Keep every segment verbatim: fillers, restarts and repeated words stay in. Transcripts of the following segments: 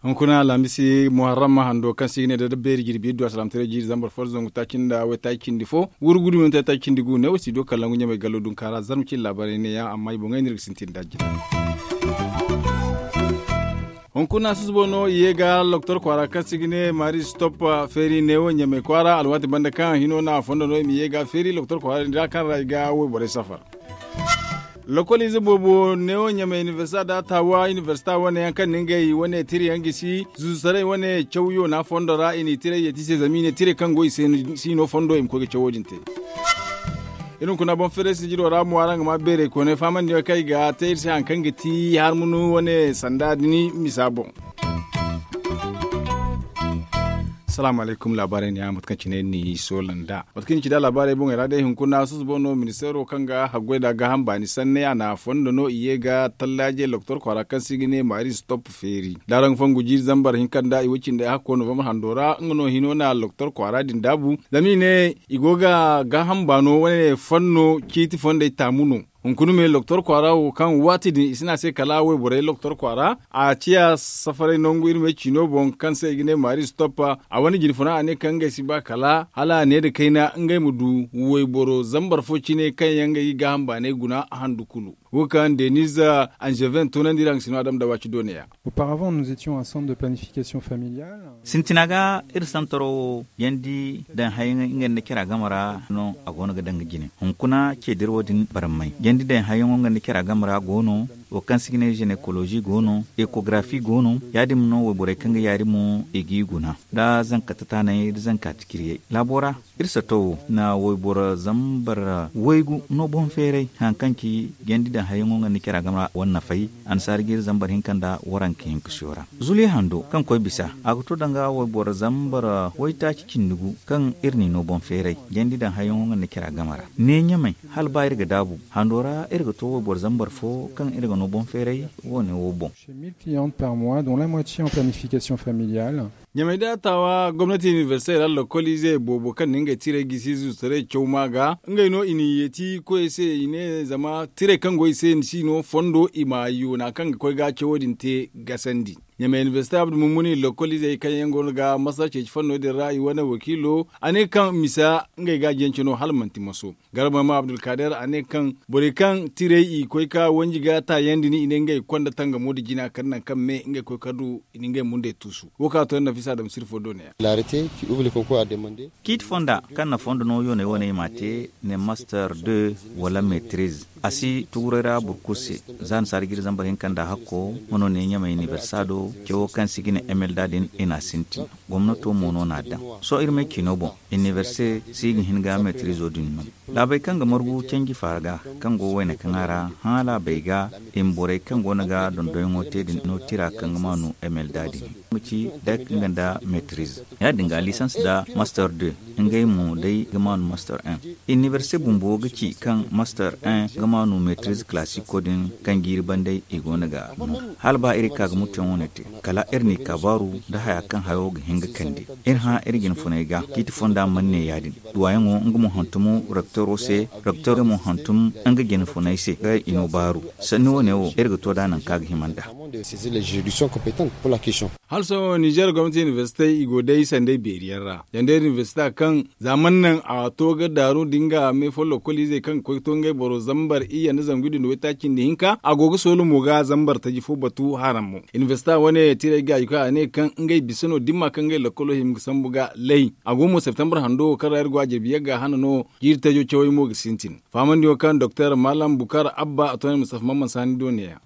Hunkuna alhamisi muharram hando kaŋ se i ga ne da beeri jirbi iddu alsilaamataray jiiri zambar fo da zangu taaci nda waytaaci cindi fo, wurgudu minti taaci cindi gu ne wo si do kala nangu ɲamay gallo dunka ra zarma cine laabaarey ne yaŋ amma i boŋey no iri ga sintin da jina. Hunkuna susubo no i ye ga loktor kwaara kaŋ se i ga ne maari stop feeri ne wo ɲamay kwaara alwaati banda kaŋ hino no a fondo no i ma ye ga feeri loktor kwaara din ra kaŋ ra i ga wayborey safar. Lokol ize boobo neewo ɲamay inibersita da taawa inibersita wane yaŋ kaŋ na ngey wane tira yaŋ gisi zuusaray wane cawyo na fondo ra i n'i tiray yeeti se zama i ne tiray kaŋ go i se si no fondo i ma koy ga cawo din te. Iri hunkuna boŋ feeray sijiro ra mo araŋ ga ma beeray koonay fahamandi yaŋ kaŋ i ga te iri se hari kaŋ ga ti harmunu wane sanda din misa boŋ. Salaamu alaykum laabaarey ne ya mate kaŋ cine ni soola nd'a mate kaŋ ni ci da laabaarey boŋey ra day hunkuna susubo no ministeero kaŋ ga haggoy nda gaaham baani sanney a na fondo no i ye ga tallaajey loktor kwaara kaŋ se i ga ne maari stop feeri da araŋ fongu jiiri zambar hinka nda i wo cindey hakko novambar hando ra nga no hino na loktor kwaara din daabu zama i ne i go ga gaaham baano wane fanno ciiti fondey taamu no. Hunkuna me loktor kwaara wo kaŋ waati din i si ne a se kala wayborey loktor kwaara a ciya safaray nangu iri me ciino boŋ kaŋ se i ga ne maari stop a wane jinfuna a ne kaŋ ngey si ba kala hala a ne nda kayna ngey ma du wayboro zambar fo cine kaŋ yaŋ ngey ga gaaham baanay guna handu kulu. Wo kaŋ deniz anzeven toonandi iri haŋ ga si no a dama da waaci dooneya. Auparavant nous étions un centre de planification familiale. Sintina ga iri santaro wo yandi daŋ hayaŋ nga nda cara game ra no a go no ga daŋ ga jine hunkuna ce dira wo din barmay yandi daŋ hayaŋo nga nda cara game ra go no wo kaŋ se ga ne zenekolozi go no ekografi go no ya- din mo no wayborey kaŋ ga yaari mo i g'i guna nda zanka tataanay nda zanka tikiriyey laabo ra. Iri sato wo na wayboro zambar waygu no boŋ feeray hari kaŋ ci yandi daŋ hayaŋo nga nda cara game ra wane nafay annasaara jiiri zambar hinka nda waranka hinka siyo ra. Zule hando kaŋ koy bisa a ga to danga wayboro zambar waytaaci cindi gu kaŋ iri n'i no boŋ feeray jandi daŋ hayaŋo nga nda cara game ra ne ɲamay hala ba iri ga daabu hando ra iri ga to wayboro zambar fo kaŋ iri ga no boŋ feeray wo- ne wo boŋ. Chez mille clientes par mois dont la moitié en planification familiale. Ɲamay da taawa gomnati inibersite ra lokoliizey boobo kaŋ na ngey tiray gisi zuusaray caw ma ga ngey no i n'i yeeti koyey se i ne zama tiray kaŋ go i se ni si no fondo i ma yoona kaŋ ga koy ga cawo din te gasandi. Ɲamay inibersite abdu mummuni lokoliizey kaŋ yaŋ go no ga masa ceeci fanno din ra i wane wakiilo a ne kaŋ misa ngey ga a jance no hala manti maso. Garba ma abdulkader a ne kaŋ borey kaŋ tiray i koy ka wanji ga taayandi ni i ne ngey konda tangamo nda jina kala nangu kaŋ me ngey koy ka du i na ngey mundey tuusu. Wo kaŋ a to yaŋ nafisa adama sirfo do ne ya. Ciiti fonda kaŋ na fondo no yooney wane i m'a te ne master deux wala metriz a si tuguray ra boro kulu se. Za annasaara jiiri zambar hinka nda hakko nga no ne ɲamay inibersado cawo kaŋ se i ga ne emelda din i n'a sintin. Gomnato mo no n'a daŋ sohõ iri may ciino boŋ inibersite si ga hin ga metrizo din no. Laabey kaŋ ga margu canji faara ga kaŋ go wayna kaŋa ra hã laabey ga i ma borey kaŋ go no ga dondonyaŋo te din no tira kaŋ ga maanu emelda din ma ci dek nga nda metriz ya- din ga lisans nda master deux. Ngey mo day ga maanu master un. Inibersite bumbo ga ci kaŋ master un ga maanu metriz kalasiko din kaŋ jiiri bandey i go no ga no. Hala ba iri ka ga mutu yaŋ wane te kala iri n'i ka baaru nda haya kaŋ hayo ga hin ga kande. Iri hã iri jine funey ga ciiti fonda mana ne ya- din. Duwayaŋo nga mo hantum rektoro se. Rektoro mo hantum nga jine funey se kaŋ i no baaru. Sanni wane wo iri ga to nd'a nangu kaŋ a ga hima nd'a. Hala sohõ nizer gomnati inibersitey i go day sanday beeri yaŋ ra yandey inibersita kaŋ za mana naŋ a to ga daaru nda nga me fo lokoliizey kaŋ ga koy ga to ngey boro zambar iyye nda zangu iddu nda waytaaci nda hinka a go ga soolo mo ga zambar taji fo batu haram mo. Inibersita wane tiray gaaji koy a ne kaŋ ngey bisa no dimma kaŋ ngey lokolo hima ga sambu ga lay. A go mo septembre hando wo kaŋ ra iri go a jirbi yagga hana no jiiri tajo cawey mo ga sintin. Fahamandi wo kaŋ doktor malam bukar abba a to ne mustafa mamman sani do ne ya.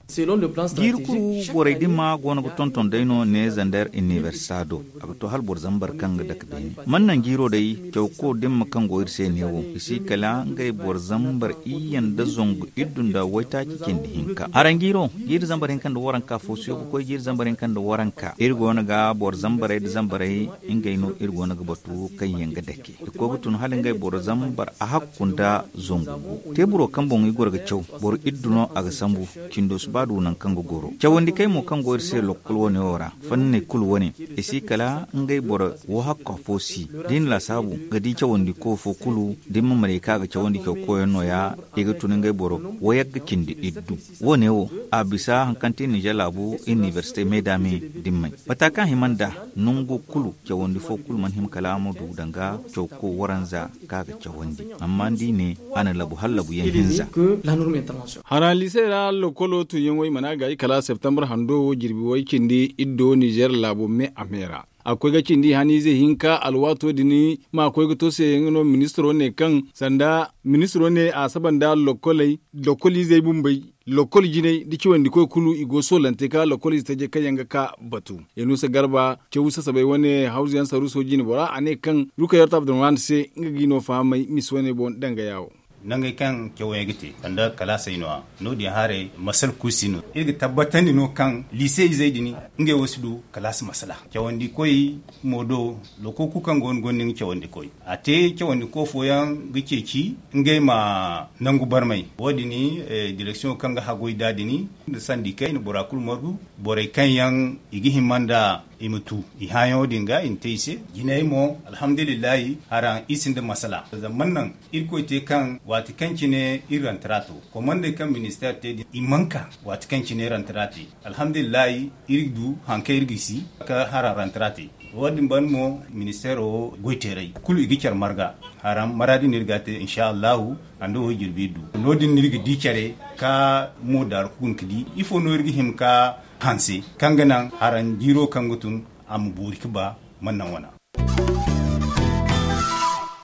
Jiiri kulu borey dimma go no ga tonton day no ne zander inibersita do. A ga to hala boro zambar kaŋ ga dake beene mana naŋ jiiro day cawko dimma kaŋ go iri se ne wo i si kala ngey boro zambar iyye nda zangu iddu nda waytaaci cindi hinka haranjiiro jiiri zambar hinka nda waranka fo siyo ga koy jiiri zambar hinka nda waranka iri go no ga boro zambarey nda zambarey ngey no iri go no ga batu kaŋ yaŋ ga dake i koy ga tun hala ngey boro zambar a hakku nda zangu gu. Teeburo kaŋ boŋ i goro ga caw boro iddu no a ga sambu. Cindo si ba du nangu kaŋ ga goro cawandi kay mo kaŋ go iri se lokkol wane wo ra. Ni ne kulu wane, i si kala ngey boro wo hakka fo si. Da i na laasaabu ga di cawandi ko fo kulu da i ma maray ka ga cawandi caw koyaŋ no- ya. I ga tun ngey boro wo yagga cindi iddu. Wo- ne wo a bisa hari kaŋ te ninzeer laabu inibersite me da me dimmey, mata kaŋ hima nd'a nangu kulu cawandi fo kulu mana hima kala a ma du danga cawko waranza ka ga cawandi. Amma ni di ne a na labu hala labu yaŋ hinza. Hara liisey ra lokolo tunyaŋo i mana gaayi kala septembre hando wo jirbi way cindi iddo ninzeer laabo me a me ra. A ga koy ga cindi haniize hinka alwaato din ma koy ga to se yaŋ no ministiro ne kaŋ sanda ministiro ne a saba nda lokoley lokoliizey bumbey, lokol jinay nda cawandi koy kulu i go soolante ka lokoliize tajey kaŋ yaŋ ga ka batu. Yanuusa garba caw sasabay wane hawzu yaŋ saruuso jine bora a ne kaŋ rukayarta abdurrahman se nga ga i no fahamay misa wane boŋ danga yaawo. Nangey kaŋ cawey ga te sanda kalaasey no- ya no- din haray masal kulu si no iri ga tabbatandi no kaŋ liise izey din ngey wo si du kalaasi masala. Cawandi koy mo do lokoku kaŋ go no gonda nga cawandi koy a te cawandi ko fooyaŋ ga ceeci ngey ma nangu barmay wo- din direksiyoŋo kaŋ ga hagoy da din nda sandi kayna bora kulu margu borey kaŋ yaŋ i ga hima nda i ma tu i hãayaŋo din ga i na te i se. Jinay mo alhamdulillahi hara i sinda masala zama man naŋ irkoy te kaŋ waati kaŋ cine iri rantara to komandey kaŋ ministeer te din i mana ka waati kaŋ cine rantara te. Alhamdulillahi iri du hari kaŋ iri ga si ka hara rantara te. Wo- din banda mo ministeero wo goyteerey kulu i ga care marga hara maraadi no iri ga a te insa allahu. Hando wo jirbi iri du no- din no iri ga di care ka mo daaru ka guna ka di ifo no iri ga hima ka hanse kaŋ ga naŋ haran jiiro kaŋ ga tun a ma boori ga ba man naŋ wana.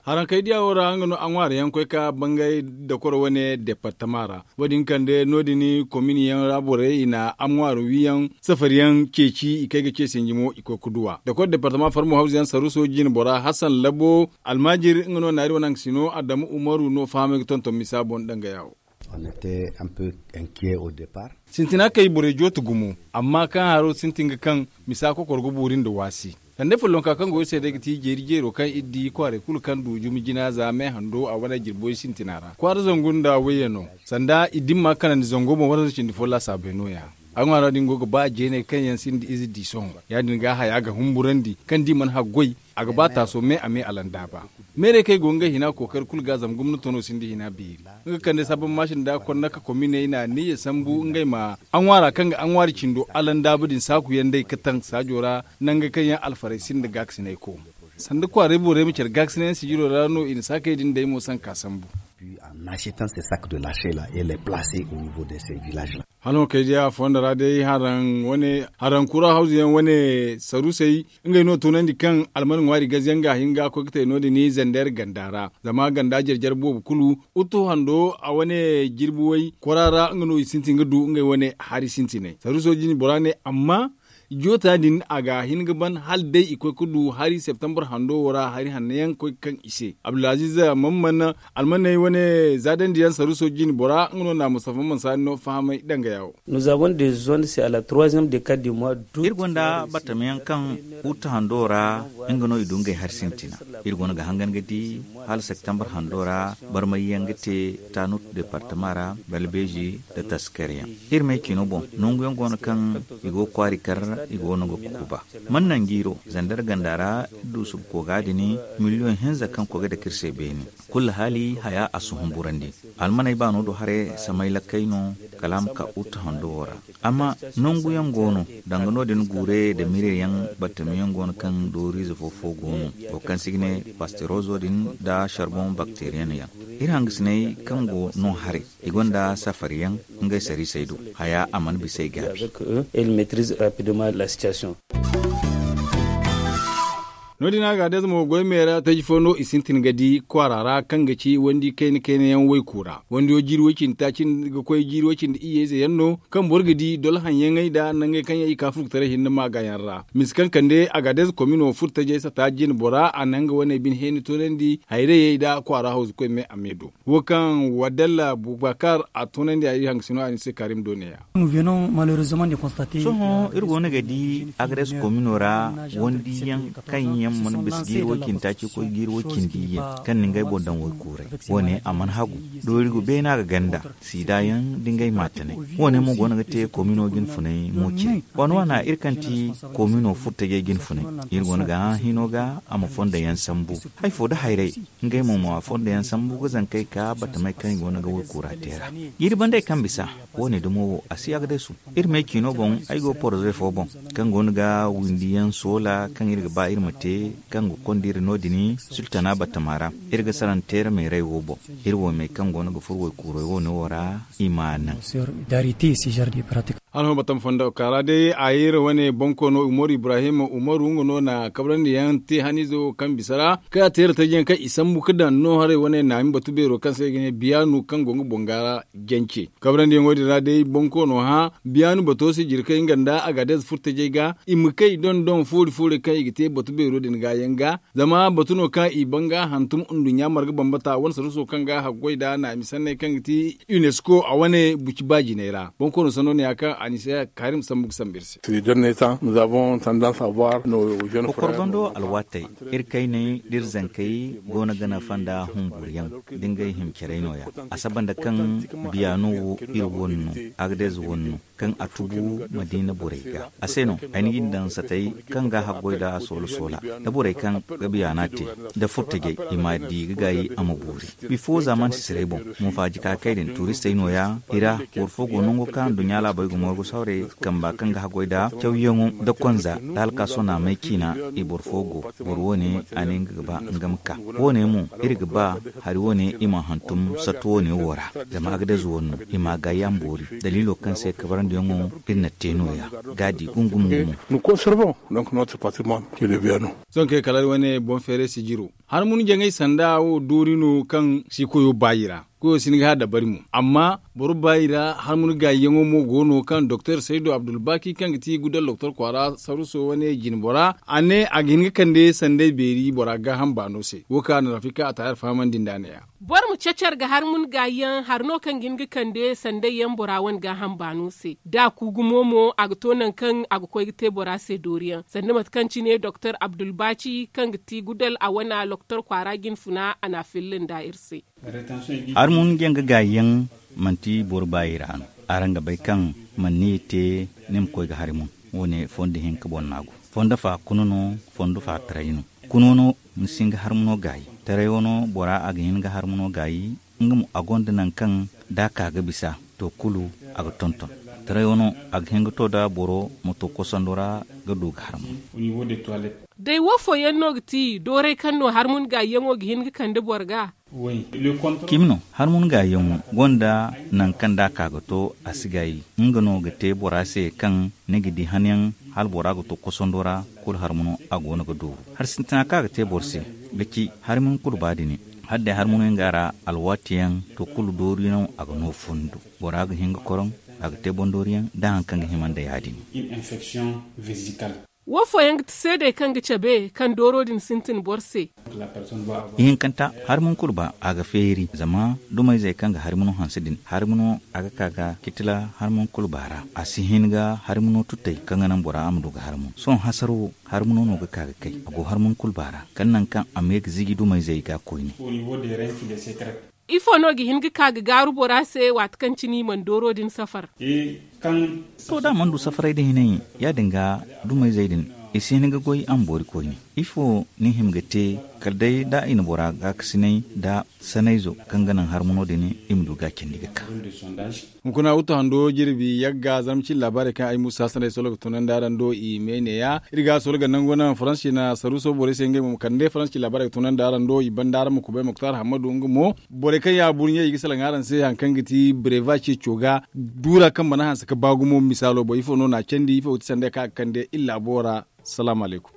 Harankey diya wo ra nga no a ŋwaari yaŋ koy ka bangay dakoro wane departama ra. Wo- din kande no- din komin yaŋ ra borey i na a ŋwaari wiyaŋ safari yaŋ ceeci i kay ga ce sinji mo i koy ga duwa dakoro departama farmo hawzu yaŋ saruuso jine bora hasan labo almaajir nga no naari wane haŋ ga si no adamu umaru no fahamay ga tonton misa boŋ danga yaawo. Sintina kay borey jooti gumo amma kaŋ haro sintin ga kaŋ misa kokoro ga boori nda waasi. Sanda follonka kaŋ go iri se day ga ti jeeri jeero kaŋ iri di kwaaray kulu kaŋ du jumi jina za me hando a wane jirboy sintina ra kwaara zangu nda wayye no. Sanda i dimma kanandi zango boŋ wala nda cindi fo laasaabey no- ya. A ŋwaara din go ga ba jeeney kaŋ yaŋ sinda ize di sohõ ya- din ga haya ga humburandi kaŋ da i mana haggoy a ga ba taaso me a me alandaaba. Meerey kaŋ i go ngey hina kookari kulu ga zama gomnato no sinda hina beeri nga kande sabab maasi nda konna ka kominey na niyya sambu ngey ma a ŋwaara kaŋ ga a ŋwaari cindo alandaaba din saaku yaŋ day ka taŋ saajo ra. Nangey kaŋ yaŋ alfarey sinda gaakasinay ko sanda kwaaray borey ma care gaakasinay yaŋ sijiro ra no i na saakey din day mo sanka sambu. Hala ma kay day a fondo ra day haraŋ kura hawzu yaŋ wane saruusey ngey no toonandi kaŋ alman ŋwaari gaze yaŋ ga a hin ga koy ga te no- din zandeer ganda ra zama ganda jare jare boobo kulu. Uttu hando a wane jirbi way kwara ra nga no i sintin ga du ngey wane hari sintinay saruuso din bora ne amma joota din a ga hin ga ban hala day i koy ga du hari septembre hando wo ra hari hanno yaŋ koy ga kaŋ i se abdulaziiz. Mamman almaney wane zaadandi yaŋ saruuso jine bora nga no na mustafa mansa no fahamay danga yaawo. Iri gonda battam yaŋ kaŋ uta hando ra nga no i du ngey hari sintina. Iri gonda ga hangan ga di hala septembre hando ra barmay yaŋ ga te tanut departama ra balbeezi nda taskar yaŋ. Iri may cino boŋ nangu yaŋ go no kaŋ i go kwaari kar i go no ga kukuba. Man naŋ jiiro zandar ganda ra iri du subu kooga din miliyoŋ hinza kaŋ koy ga dake iri se beene. Kulu haali haya a si humburandi. Almaney baano do haray samay lakkey no kala a ma ka uta hando wo ra. Amma nangu yaŋ go no danga no- din guure nda mire yaŋ battam yaŋ go no kaŋ dooriize fo fo go no wo kaŋ se i ga ne pasterozo din nda sarboŋ bakteriyen yaŋ. Iri hangasiney kaŋ go no haray i gonda safari yaŋ ngey sariisey do haya a mana bisa i gaabi. No- din a ga a day zama goy me ra taji fo no i sintin ga di kwaara ra kaŋ ga ci wandi kayna kayna yaŋ wayku ra wandiyo jiiri way cindi taaci ga koy jiiri way cindi iyye ize yaŋ no kaŋ boro ga di dolo haŋ yaŋey nda nangey kaŋ yaŋ i ka furkutaray hinne maaga yaŋ ra. Misa kaŋ kande a ga a day za komino furo tajey sata jine bora a na nga wane bine heeni toonandi hayrayey nda kwaara hawzu koy me a me do. Wo kaŋ wadalla bubakar a toonandi a iri hangasino a ni se karim do ne- ya. Sohõ iri go no ga di agres komino ra wandiyaŋ kaŋ Yaŋ mana bisa jiiri way cindi taaci koy jiiri way cindi iyye kaŋ na ngey boŋ daŋ waykuuray. Wo- ne a mana hagu doori go beene a ga ganda siida yaŋ da ngey maatanay. Wo- ne mo go no ga te komino jine funay mo cire. Waana waana iri kaŋ ti komino furtajey jine funay, iri go no ga hã hino ga a ma fondo yaŋ sambu. Hari fo nda hayray ngey mo ma fondo yaŋ sambu ga zankey ka batamey kaŋ i go no ga waykuura te ra. Jiiri bandey kaŋ bisa, wo- ne dumo wo a si agdesu. Iri me ciino boŋ, ay go poroze fo boŋ kaŋ go no ga windi yaŋ soola kaŋ iri ga ba iri ma te, kaŋ ga konda iri no- din sultana batama ra. Iri ga saranteera meeray wo boŋ, iri wo me kaŋ go no ga furo waykuuray wo- ne wo ra, i ma a naŋ. Alhuma batama fondo ka ra day a ye iri wane bonkoono umaru ibrahim umaru nga no na kabrandi yaŋ te haniizo kaŋ bisa ra, kaŋ a te iri taji yaŋ kaŋ i sambu ga daŋ no haray wane naami batu beero kaŋ se i ga ne biyaanu kaŋ go nga boŋ ga ra. Jance kabrandi yaŋo din ra day bonkoono hã biyaanu bato se jirkey nga nda a ga deeza furtajey ga i ma kay doŋ doŋ foori foori kaŋ i ga te batu beero din ga yaŋ ga. Zama batu no kaŋ i ban ga hantum nduɲɲa marga bambata wane saruso kaŋ ga haggoy nda naami sanney kaŋ ga ti unesco a wane buci ba jinay ra bonkoono sanno ne ya kaŋ a ni se karim sambu ga sambu iri se. Kokor bando alwaatey, iri kayney da iri zankey go no ga nafa nda humburu yaŋ da ngey hima caray no- ya. A saba nda kaŋ biyaano wo iri wane no, agdez wane no, kaŋ a tubu madiina borey ga. A se no ay na ga ni daŋ satey kaŋ ga haggoy nda soola soola nda borey kaŋ ga biyaana te nda furtajey, i ma di ga gaayi a ma boori. Bifo zaamaani sisiray boŋ, mufaaji kaakey din tuuristey no- ya. I ra boro fo go nango kaŋ nduɲɲa laabey ga morgu sawray kamba kaŋ ga haggoy nda cawyaŋo nda konza nda alkaaso naamey ciina. I boro fo go, boro wo- ne a ne nga ga ba nga ma ka. Wo- ne mo, iri ga ba hari wo- ne i ma hantum sattu wo- ne wo ra. Zama agdez wo- no i ma a gaayi a ma boori. Daliilo kaŋ se kabarandiyaŋo iri na te no- ya ga a di gungum gumo. Sohõ kay kala iri wane boŋ feeray sijiro, harmun jaŋay sanda wo doori no kaŋ si koyo baayi ra. Koyo si hin ga hã dabari mo, amma boro baayi ra harmun gaayiyaŋo mo go no kaŋ doktor saydu abdulbaki kaŋ ga ti gudal doktor kwaara saruso wane jinbora a ne a ga hin ga kande sanday beeri bora gaaham baano se. Wo kaŋ a na rafika a taayar fahamandi nd'a ne- ya. Boro ma cacar ga harmun gaayiyaŋ hari no kaŋ ga hin ga kande sanday yaŋ bora wane gaaham baano se da a ku gumo mo a ga to nangu kaŋ a ga koy ga te bora se dooriyaŋ sanda mate kaŋ cine doktor abdulbaaci kaŋ ga ti gudal a wana doktor kwaara jine funa a na a filla nda iri se. Harmun jaŋ ga gaayi yaŋ manti boro baayi ra no. Araŋ ga bay kaŋ manni ye te ni ma koy ga hari mun. Wo- ne fondo hinka boŋ no a go. Fondo fa kuna no, fondo fa taray no. Kuna no ni si hin ga harmuno gaayi. Taray wano bora a ga hin ga harmuno gaayi. Nga mo a gonda nangu kaŋ da a ka ga bisa to kulu a ga tonton. Taray wano a ga hin ga to da boro ma to kosando ra ga du ga harmun. Day wo fooyaŋ no ga ti dooray kaŋ no harmun gaayiyaŋo ga hin ga kande boro ga? Cimi no, harmun gaayiyaŋo gonda nangu kaŋ da a ka ga to a si gaayi. Nga no ga te bora se kaŋ ni ga di hanyaŋ hala bora ga to kosando ra kulu harmuno a go no ga dooru. Hari sintina kaŋ a ga te boro se ga ci harmun kulu ba din. Hala day harmuno nga ra alwaatiyaŋ to kulu doori no a ga no fundo. Bora ga hin ga koroŋ a ga te boŋ dooriyaŋ da hari kaŋ ga hima nda ya- din. Wo fooyaŋ ga ti seedey kaŋ ga cabe kaŋ dooro din sintin boro se. Ihinkanta, harmun kulu ba a ga feeri zama dumayzey kaŋ ga harmuno hanse din harmuno a ga ka ga kitila harmun kulu ba ra. A si hin ga harmuno tutay kaŋ ga naŋ bora a ma du ga harmun sohõ hasaro wo. Harmuno no ga ka ga kay a go harmun kulu ba ra kala nangu kaŋ a ma ye ga ziji dumayzey ga koyne. Ifo no ga hin ga ka ga gaaru bora se waati kaŋ cine i mana dooro din safar? To da a mana du safaray da hinay ya- din ga dumayzey din i si hin ga goy a ma boori koyne. Ifo ni hima ga te kala day da i na bora gaakasinay da sanayzo kaŋ ga naŋ harmuno din i ma du ga a candi ga ka. Hunkuna wuttu hando jirbi yagga zarma cine laabaarey kaŋ ay muusa sanday solo ga tunandi araŋ do i me ne- ya. Iri ga solo ga nangu naŋ faransi na saruuso borey se ngey mo ma kande faransi laabaarey ga tunandi araŋ do i banda araŋ ma kubay muktar hammadu nga mo. Borey kaŋ ya buru ɲey i ga salaŋ araŋ se hari kaŋ ga ti breva ceeco ga duura kaŋ mana hanse ga ba gumo misaalo boŋ ifo no na a candi ifo ga ti sanday kaŋ a ga kande iri laabo ra. Salaamu alaykum.